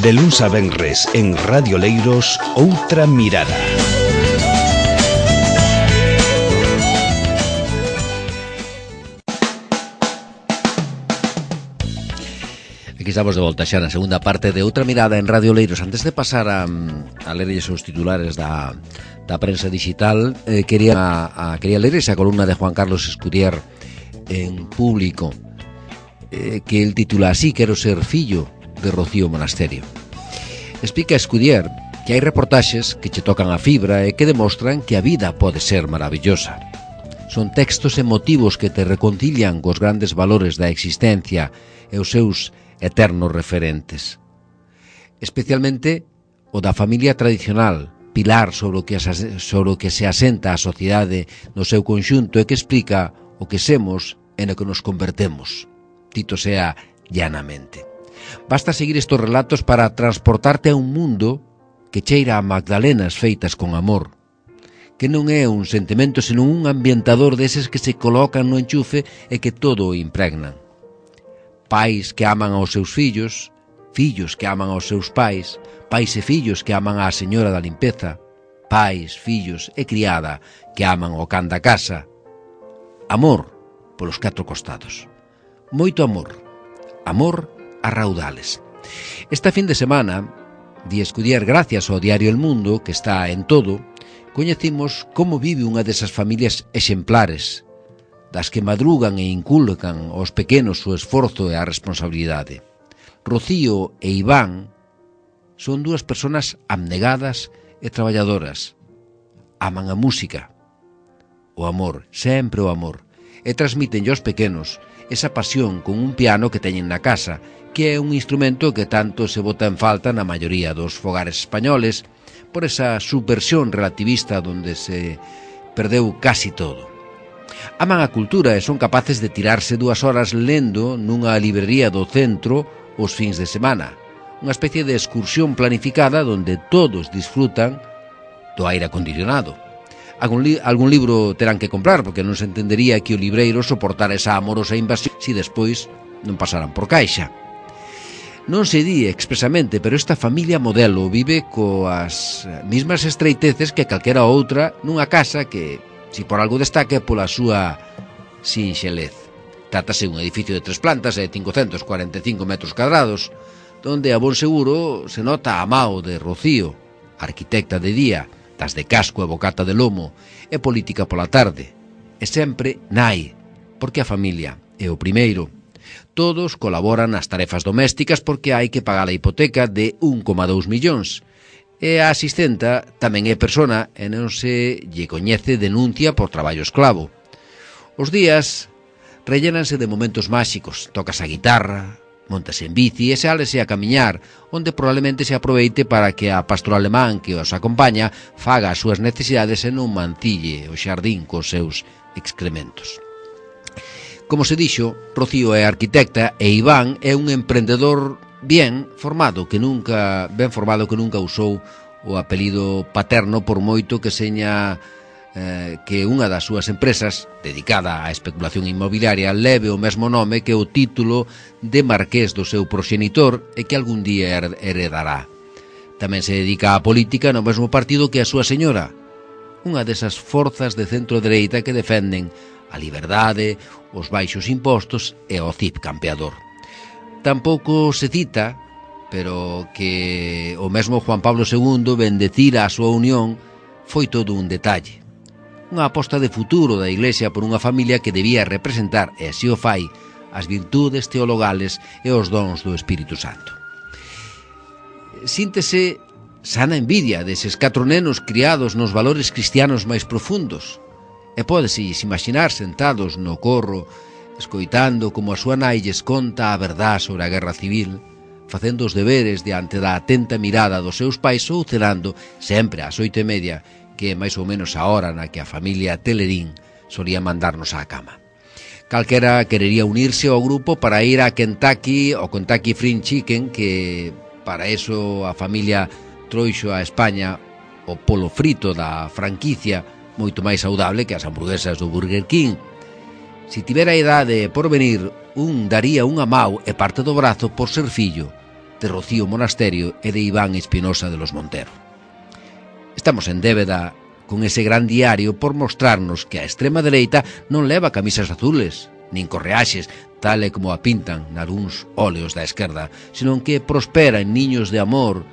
De luns a venres en Radio Leiros, Outra Mirada. Aquí estamos de volta xa na segunda parte de Outra Mirada en Radio Leiros. Antes de pasar a lerlles os titulares da prensa digital, quería ler esa columna de Juan Carlos Escudier en Público, que el titula así: Quero ser fillo de Rocío Monasterio. Explica Escudier que hai reportaxes que che tocan a fibra e que demostran que a vida pode ser maravillosa. Son textos emotivos que te reconcilian cos grandes valores da existencia e os seus eternos referentes. Especialmente o da familia tradicional, pilar sobre o que se asenta a sociedade no seu conxunto e que explica o que semos e no que nos convertemos, dito sea llanamente. Basta seguir estes relatos para transportarte a un mundo que cheira a magdalenas feitas con amor, que non é un sentimento senón un ambientador deses que se colocan no enchufe e que todo o impregnan. Pais que aman aos seus fillos, fillos que aman aos seus pais e fillos que aman á señora da limpeza, pais, fillos e criada que aman ao can da casa. Amor polos 4 costados. Moito amor. Amor a raudales. Esta fin de semana, di Escudier, gracias ao diario El Mundo, que está en todo, coñecimos como vive unha desas familias exemplares, das que madrugan e inculcan aos pequenos o esforzo e a responsabilidade. Rocío e Iván son 2 persoas abnegadas e traballadoras. Aman a música, o amor, sempre o amor, e transmiten aos pequenos esa pasión con un piano que teñen na casa, que é un instrumento que tanto se bota en falta na maioría dos fogares españoles por esa subversión relativista donde se perdeu casi todo. Aman a cultura e son capaces de tirarse 2 horas lendo nunha librería do centro os fins de semana, unha especie de excursión planificada donde todos disfrutan do aire acondicionado. Algún libro terán que comprar, porque non se entendería que o libreiro soportara esa amorosa invasión se despois non pasaran por caixa. Non se di expresamente, pero esta familia modelo vive coas mismas estreiteces que calquera outra nunha casa que, se por algo destaque, pola súa sinxelez. Trátase un edificio de 3 plantas e 545 metros cadrados, donde a bon seguro se nota a mao de Rocío, arquitecta de día, das de casco e bocata de lomo, e política pola tarde, e sempre nai, porque a familia é o primeiro. Todos colaboran nas tarefas domésticas porque hai que pagar a hipoteca de 1,2 millóns. E a asistenta tamén é persona e non se lle coñece denuncia por traballo esclavo. Os días rellénanse de momentos máxicos. Tocas a guitarra, montas en bici e sálese a camiñar, onde probablemente se aproveite para que a pastora alemán que os acompaña faga as súas necesidades e non mancille o xardín cos seus excrementos. Como se dixo, Rocío é arquitecta e Iván é un emprendedor ben formado que nunca usou o apelido paterno, por moito que seña que unha das súas empresas dedicada á especulación inmobiliaria leve o mesmo nome que o título de marqués do seu proxenitor e que algún día heredará. Tamén se dedica á política no mesmo partido que a súa señora, unha desas forzas de centro-dereita que defenden a liberdade, os baixos impostos e o CIP campeador. Tampouco se cita, pero que o mesmo Juan Pablo II bendecira a súa unión foi todo un detalle. Unha aposta de futuro da Iglesia por unha familia que debía representar, e así o fai, as virtudes teologales e os dons do Espírito Santo. Síntese sana envidia deses 4 nenos criados nos valores cristianos máis profundos, e pódese imaginar sentados no corro, escoitando como a súa nai lles conta a verdad sobre a guerra civil, facendo os deberes diante da atenta mirada dos seus pais ou cenando sempre ás 8:30, que é máis ou menos a hora na que a familia Telerín solía mandarnos á cama. Calquera querería unirse ao grupo para ir a Kentucky, ao Kentucky Fried Chicken, que para eso a familia trouxo a España o polo frito da franquicia, moito máis saudable que as hamburguesas do Burger King. Se tivera a idade por venir, un daría unha mau e parte do brazo por ser fillo de Rocío Monasterio e de Iván Espinosa de los Montero. Estamos en débeda con ese gran diario por mostrarnos que a extrema dereita non leva camisas azules, nin correaxes, tal e como a pintan nalgúns óleos da esquerda, senón que prospera en niños de amor,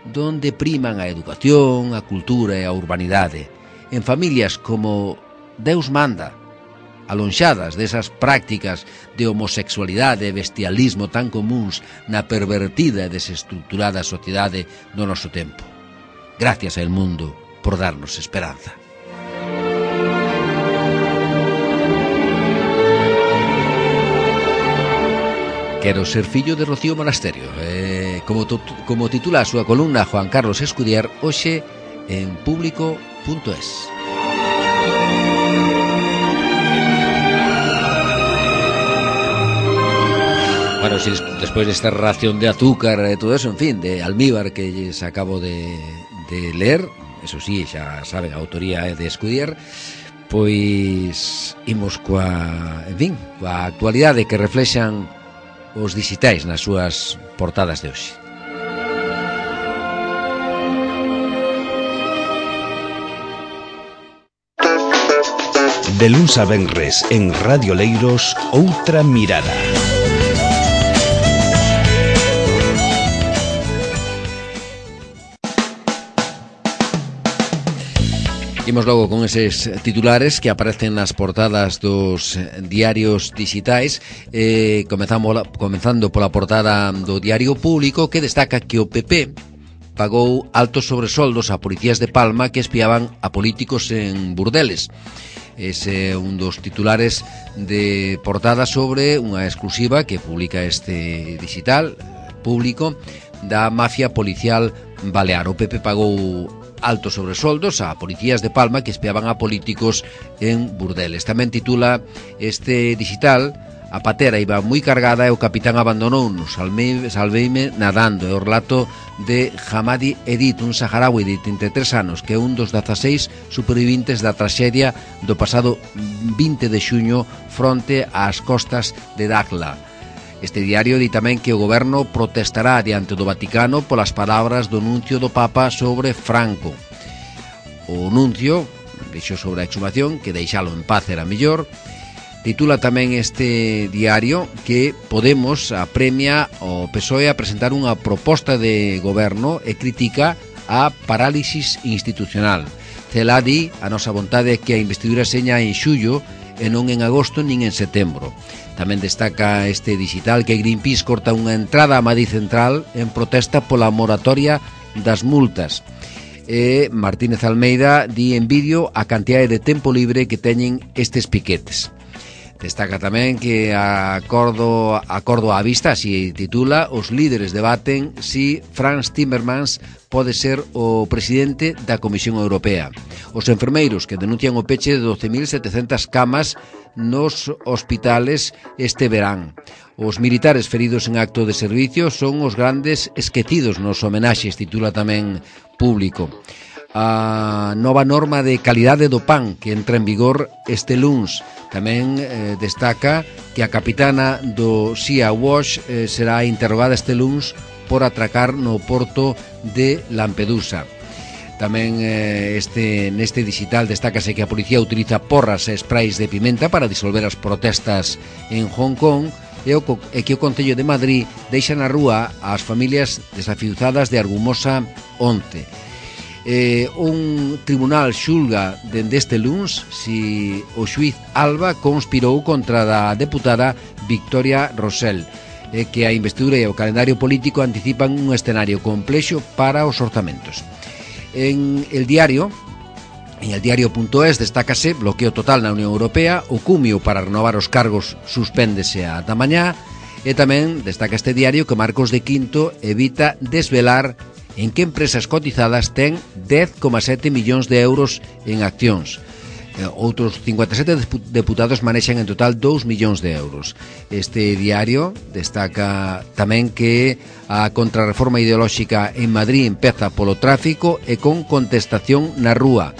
donde priman a educación, a cultura e a urbanidade, en familias como Deus manda, alonxadas desas prácticas de homosexualidade e bestialismo tan comuns na pervertida e desestructurada sociedade do noso tempo. Gracias ao mundo por darnos esperanza. Quero ser fillo de Rocío Monasterio. Como titula a súa columna Juan Carlos Escudier, hoxe en público.es. Bueno, si despois desta ración de azúcar e todo eso, en fin, de almíbar que lles acabo de ler, eso sí, xa saben, a autoría é de Escudier, pois imos coa actualidade que reflexan os digitais nas súas portadas de hoxe. De luns a venres en Radio Leiros, Outra Mirada. Imos logo con eses titulares que aparecen nas portadas dos diarios digitais, comenzando pola portada do Diario Público, que destaca que o PP pagou altos sobresoldos a policías de Palma que espiaban a políticos en burdeles. Ese é un dos titulares de portada sobre unha exclusiva que publica este digital Público da mafia policial balear. O PP pagou altos sobresoldos a policías de Palma que espiaban a políticos en burdeles. Tamén titula este digital: a patera iba moi cargada e o capitán abandonounos, salveime nadando. É o relato de Hamadi Edit, un saharaui de 33 anos que é un dos 16 superviventes da traxedia do pasado 20 de xuño fronte ás costas de Dakhla. Este diario di tamén que o goberno protestará diante do Vaticano polas palabras do nuncio do Papa sobre Franco. O nuncio dixo sobre a exhumación que deixalo en paz era mellor. Titula tamén este diario que Podemos apremia o PSOE a presentar unha proposta de goberno e critica a parálisis institucional. Cela di: a nosa vontade é que a investidura seña en xullo e non en agosto nin en setembro. Tamén destaca este digital que Greenpeace corta unha entrada a Madrid Central en protesta pola moratoria das multas. E Martínez Almeida di en vídeo a cantidade de tempo libre que teñen estes piquetes. Destaca tamén que acordo á vista, así titula, os líderes debaten si Frans Timmermans pode ser o presidente da Comisión Europea. Os enfermeiros que denuncian o peche de 12.700 camas nos hospitales este verán. Os militares feridos en acto de servicio son os grandes esquecidos nos homenaxes, titula tamén Público. A nova norma de calidade do pan que entra en vigor este luns. Tamén destaca que a capitana do Sea Watch será interrogada este luns por atracar no porto de Lampedusa. Tamén neste digital destácase que a policía utiliza porras e sprays de pimenta para disolver as protestas en Hong Kong e que o Concello de Madrid deixa na rúa as familias desafiuzadas de Argumosa onte. Un tribunal xulga dende este luns si o xuiz Alba conspirou contra da deputada Victoria Rosell, que a investidura e o calendario político anticipan un escenario complexo para os orzamentos. En el diario.es destácase bloqueo total na Unión Europea, o cumio para renovar os cargos suspéndese ata mañá, e tamén destaca este diario que Marcos de Quinto evita desvelar en que empresas cotizadas ten 10,7 millóns de euros en accións. Outros 57 deputados manexan en total 2 millóns de euros. Este diario destaca tamén que a contrarreforma ideolóxica en Madrid empeza polo tráfico e con contestación na rúa.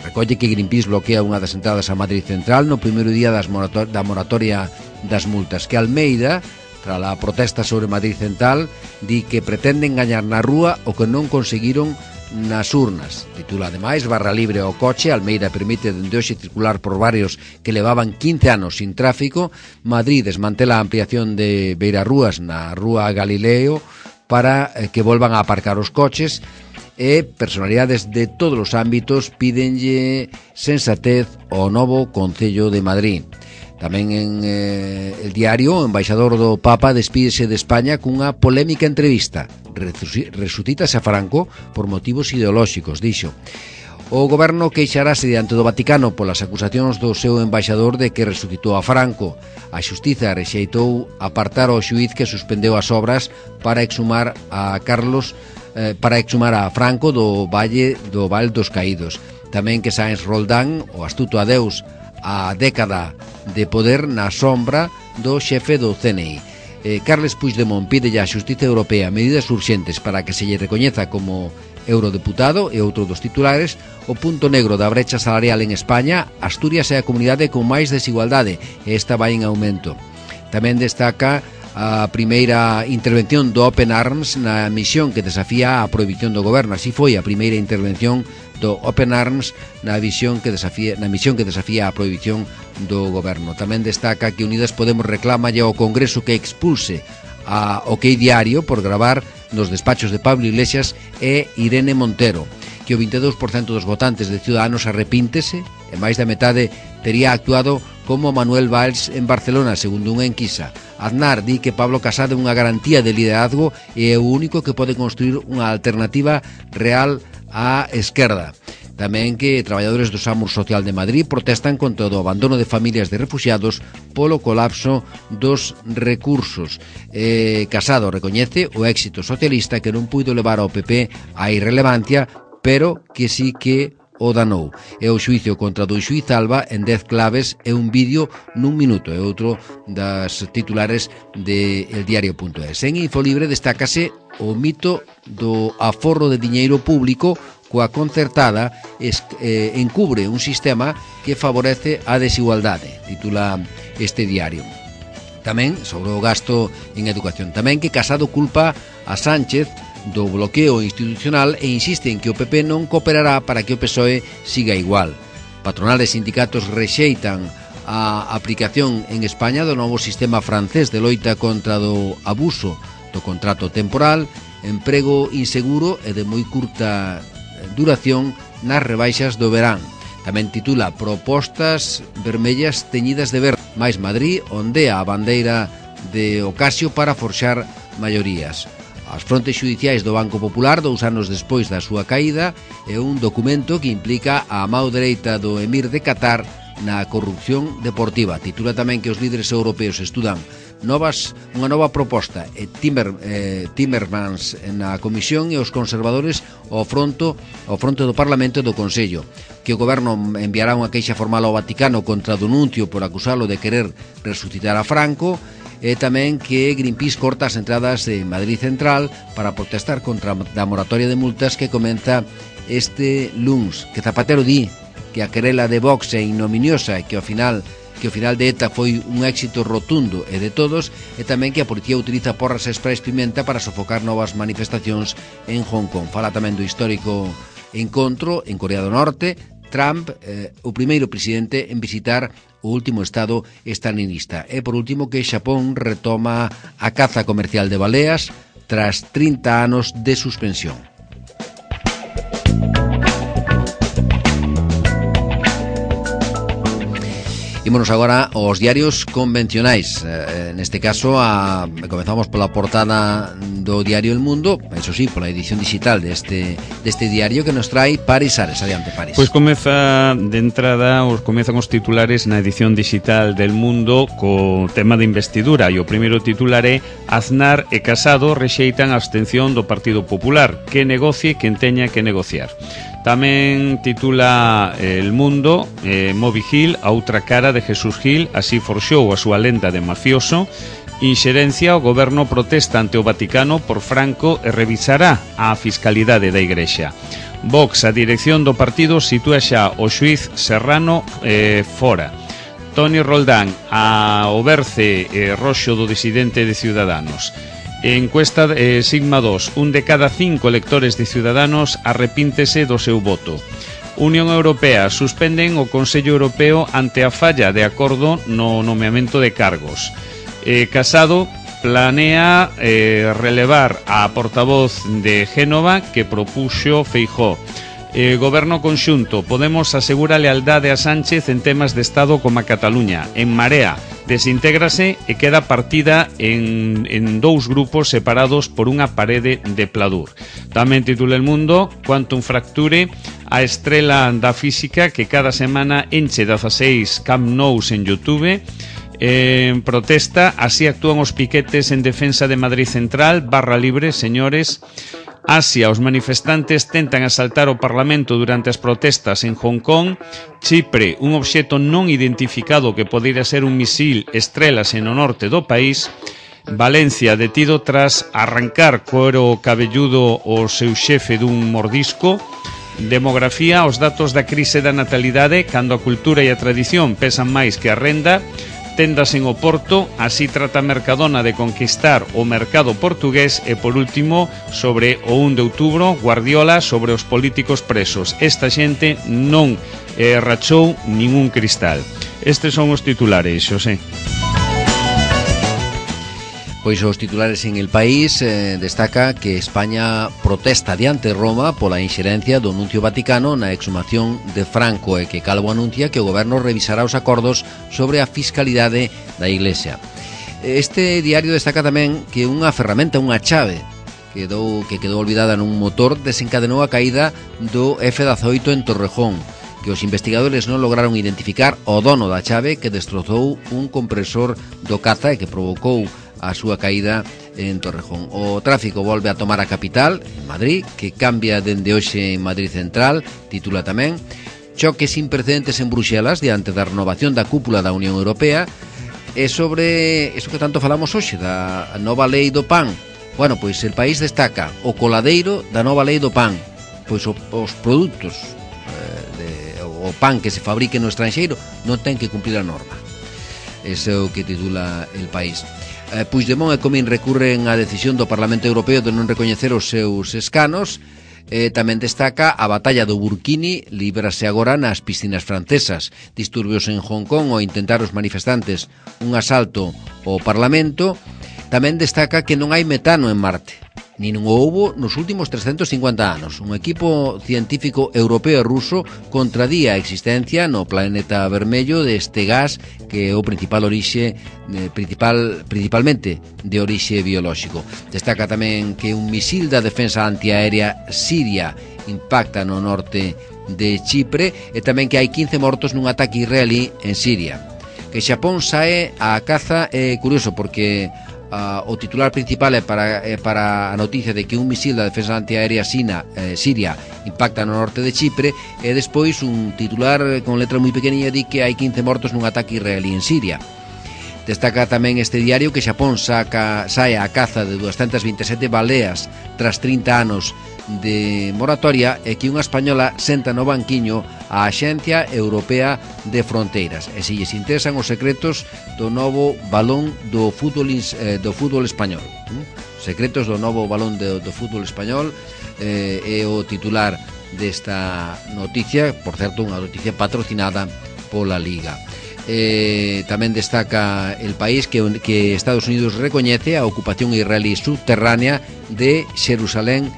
Recolle que Greenpeace bloquea unha das entradas a Madrid Central no primeiro día da moratoria das multas, que Almeida tras a protesta sobre Madrid Central, di que pretenden gañar na rúa o que non conseguiron nas urnas. Titula ademais: barra libre ao coche, Almeida permite dende hoxe circular por barrios que levaban 15 anos sin tráfico. Madrid desmantela a ampliación de beirarrúas na rúa Galileo para que volvan a aparcar os coches. E personalidades de todos os ámbitos pídenlle sensatez ao novo Concello de Madrid. Tamén en El Diario, o embaixador do Papa despídese de España cunha polémica entrevista. Resucítase a Franco por motivos ideolóxicos, dixo. O goberno queixarase diante do Vaticano polas acusacións do seu embaixador de que resucitou a Franco. A xustiza rexeitou apartar ao xuíz que suspendeu as obras para exhumar a Franco do Val dos Caídos. Tamén que Sáenz Roldán, o astuto adeus a década de poder na sombra do xefe do CNI. Carles Puigdemont pide á Xustiza Europea medidas urxentes para que se lle recoñeza como eurodeputado. E outro dos titulares: o punto negro da brecha salarial en España, Asturias é a comunidade con máis desigualdade e esta vai en aumento. Tamén destaca a primeira intervención do Open Arms na misión que desafía a prohibición do goberno. Así foi a primeira intervención do Open Arms na misión que desafía a prohibición do goberno. Tamén destaca que Unidas Podemos reclama ao Congreso que expulse a OK Diario por gravar nos despachos de Pablo Iglesias e Irene Montero, que o 22% dos votantes de Ciudadanos arrepíntese e máis da metade tería actuado como Manuel Valls en Barcelona, segundo unha enquisa. Aznar di que Pablo Casado é unha garantía de liderazgo e é o único que pode construir unha alternativa real á esquerda. Tamén que traballadores do SAMUR Social de Madrid protestan contra o abandono de familias de refuxiados polo colapso dos recursos. Casado recoñece o éxito socialista que non puido levar ao PP á irrelevancia, pero que sí que o danou. E o xuicio contra do xuiz Alba en 10 claves e un vídeo nun minuto. É outro das titulares de eldiario.es. En Infolibre destácase o mito do aforro de diñeiro público coa concertada encubre un sistema que favorece a desigualdade, titula este diario. Tamén sobre o gasto en educación. Tamén que Casado culpa a Sánchez do bloqueo institucional e insiste en que o PP non cooperará para que o PSOE siga igual. Patronal e sindicatos rexeitan a aplicación en España do novo sistema francés de loita contra do abuso do contrato temporal, emprego inseguro e de moi curta duración nas rebaixas do verán. Tamén titula Propostas vermellas teñidas de verde. Mais Madrid ondea a bandeira de Ocasio para forxar maiorías. As frontes xudiciais do Banco Popular 2 anos despois da súa caída é un documento que implica a mão dereita do emir de Qatar na corrupción deportiva. Titula tamén que os líderes europeos estudan unha nova proposta e Timmermans na Comisión e os conservadores ao fronte do Parlamento e do Consello, que o goberno enviará unha queixa formal ao Vaticano contra o denuncio por acusalo de querer resucitar a Franco, e tamén que Greenpeace corta as entradas de Madrid Central para protestar contra a moratoria de multas que comeza este luns, que Zapatero di que a querela de Vox é ignominiosa e que ao final de ETA foi un éxito rotundo e de todos, e tamén que a policía utiliza porras e sprays pimenta para sofocar novas manifestacións en Hong Kong. Fala tamén do histórico encontro en Corea do Norte. Trump, o primeiro presidente en visitar o último estado estalinista. E por último que Xapón retoma a caza comercial de baleas tras 30 anos de suspensión. Ímonos agora aos diarios convencionais. Neste caso, comezamos pola portada do diario El Mundo, eso sí, pola edición digital deste diario que nos trae Paris Ares. Adiante, Paris. Pois comezan os titulares na edición digital del Mundo co tema de investidura, e o primeiro titular é: Aznar e Casado rexeitan a abstención do Partido Popular, que negocie quen teña que negociar. Tamén titula El Mundo, Moby Gil, a outra cara de Jesús Gil, así forxou a súa lenda de mafioso. Inxerencia, o goberno protesta ante o Vaticano por Franco e revisará a fiscalidade da Igrexa. Vox, a dirección do partido, sitúa xa o xuiz Serrano fora. Toni Roldán, o berce roxo do disidente de Ciudadanos. Encuesta Sigma 2, un de cada 5 electores de Ciudadanos arrepíntese do seu voto. Unión Europea, suspenden o Consello Europeo ante a falla de acordo no nomeamento de cargos. Casado planea relevar a portavoz de Génova que propuxo Feijóo. Goberno conxunto, Podemos asegura lealdade a Sánchez en temas de Estado como a Cataluña. En Marea, desintégrase e queda partida en dous grupos separados por unha parede de pladur. Tamén titula El Mundo, Quantum Fracture, a estrela da física que cada semana enche 16 Camp Nous en YouTube. En protesta, así actúan os piquetes en defensa de Madrid Central, barra libre, señores. Asia, os manifestantes tentan asaltar o Parlamento durante as protestas en Hong Kong. Chipre, un obxecto non identificado que podería ser un misil estrélase no norte do país. Valencia, detido tras arrancar cuero cabelludo o seu xefe dun mordisco. Demografía, os datos da crise da natalidade cando a cultura e a tradición pesan máis que a renda. Tendas en Oporto, así trata Mercadona de conquistar o mercado portugués. E por último, sobre o 1 de outubro, Guardiola sobre os políticos presos. Esta xente non rachou ningún cristal. Estes son os titulares, Xosé. Pois os titulares en El País destaca que España protesta diante Roma pola inxerencia do nuncio Vaticano na exhumación de Franco e que Calvo anuncia que o goberno revisará os acordos sobre a fiscalidade da Iglesia. Este diario destaca tamén que unha ferramenta, unha chave que quedou olvidada nun motor desencadenou a caída do F-18 en Torrejón, que os investigadores non lograron identificar o dono da chave que destrozou un compresor do caza e que provocou a súa caída en Torrejón. O tráfico volve a tomar a capital, en Madrid, que cambia dende hoxe en Madrid Central, titula tamén. Choques sin precedentes en Bruxelas diante da renovación da cúpula da Unión Europea. E sobre iso que tanto falamos hoxe, da nova lei do pan. Bueno, pois El País destaca o coladeiro da nova lei do pan. Pois os produtos, o pan que se fabrique no estranxeiro non ten que cumplir a norma. Ese é o que titula El País. Puigdemont e Comín recurren á decisión do Parlamento Europeo de non recoñecer os seus escanos. Tamén destaca a batalla do Burkini, líbrase agora nas piscinas francesas. Disturbios en Hong Kong ao intentar os manifestantes un asalto ao Parlamento. Tamén destaca que non hai metano en Marte, nin o houbo nos últimos 350 anos. Un equipo científico europeo e ruso contradía a existencia no planeta vermello deste gas que é o principalmente de orixe biolóxico. Destaca tamén que un misil da defensa antiaérea siria impacta no norte de Chipre e tamén que hai 15 mortos nun ataque israelí en Siria. Que Xapón sae á caza é curioso porque o titular principal é para a noticia de que un misil da defensa antiaérea siria impacta no norte de Chipre e despois un titular con letra moi pequeniña di que hai 15 mortos nun ataque israelí en Siria. Destaca tamén este diario que Xapón sae á caza de 227 baleas tras 30 anos de moratoria e que unha española senta no banquiño a Axencia Europea de Fronteiras. E se lles interesan os secretos do novo balón do fútbol español. Secretos do novo balón do fútbol español é o titular desta noticia, por certo, unha noticia patrocinada pola Liga. Tamén destaca El País que Estados Unidos recoñece a ocupación israelí subterránea de Xerusalén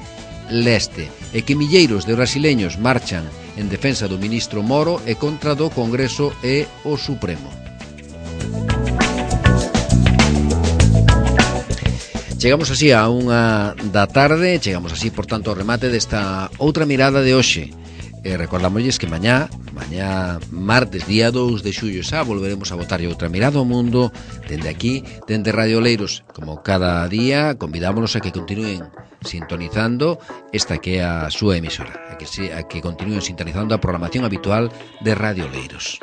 Leste e que milleiros de brasileños marchan en defensa do ministro Moro e contra do Congreso e o Supremo. Chegamos así a 1 da tarde, chegamos así, por tanto, ao remate desta outra mirada de hoxe. Recordámosles que mañá martes, día 2 de xullo xa volveremos a botarlle outra mirada ao mundo dende aquí, dende Radio Oleiros. Como cada día, convidámonos a que continúen sintonizando esta que é a súa emisora, a que continúen sintonizando a programación habitual de Radio Oleiros.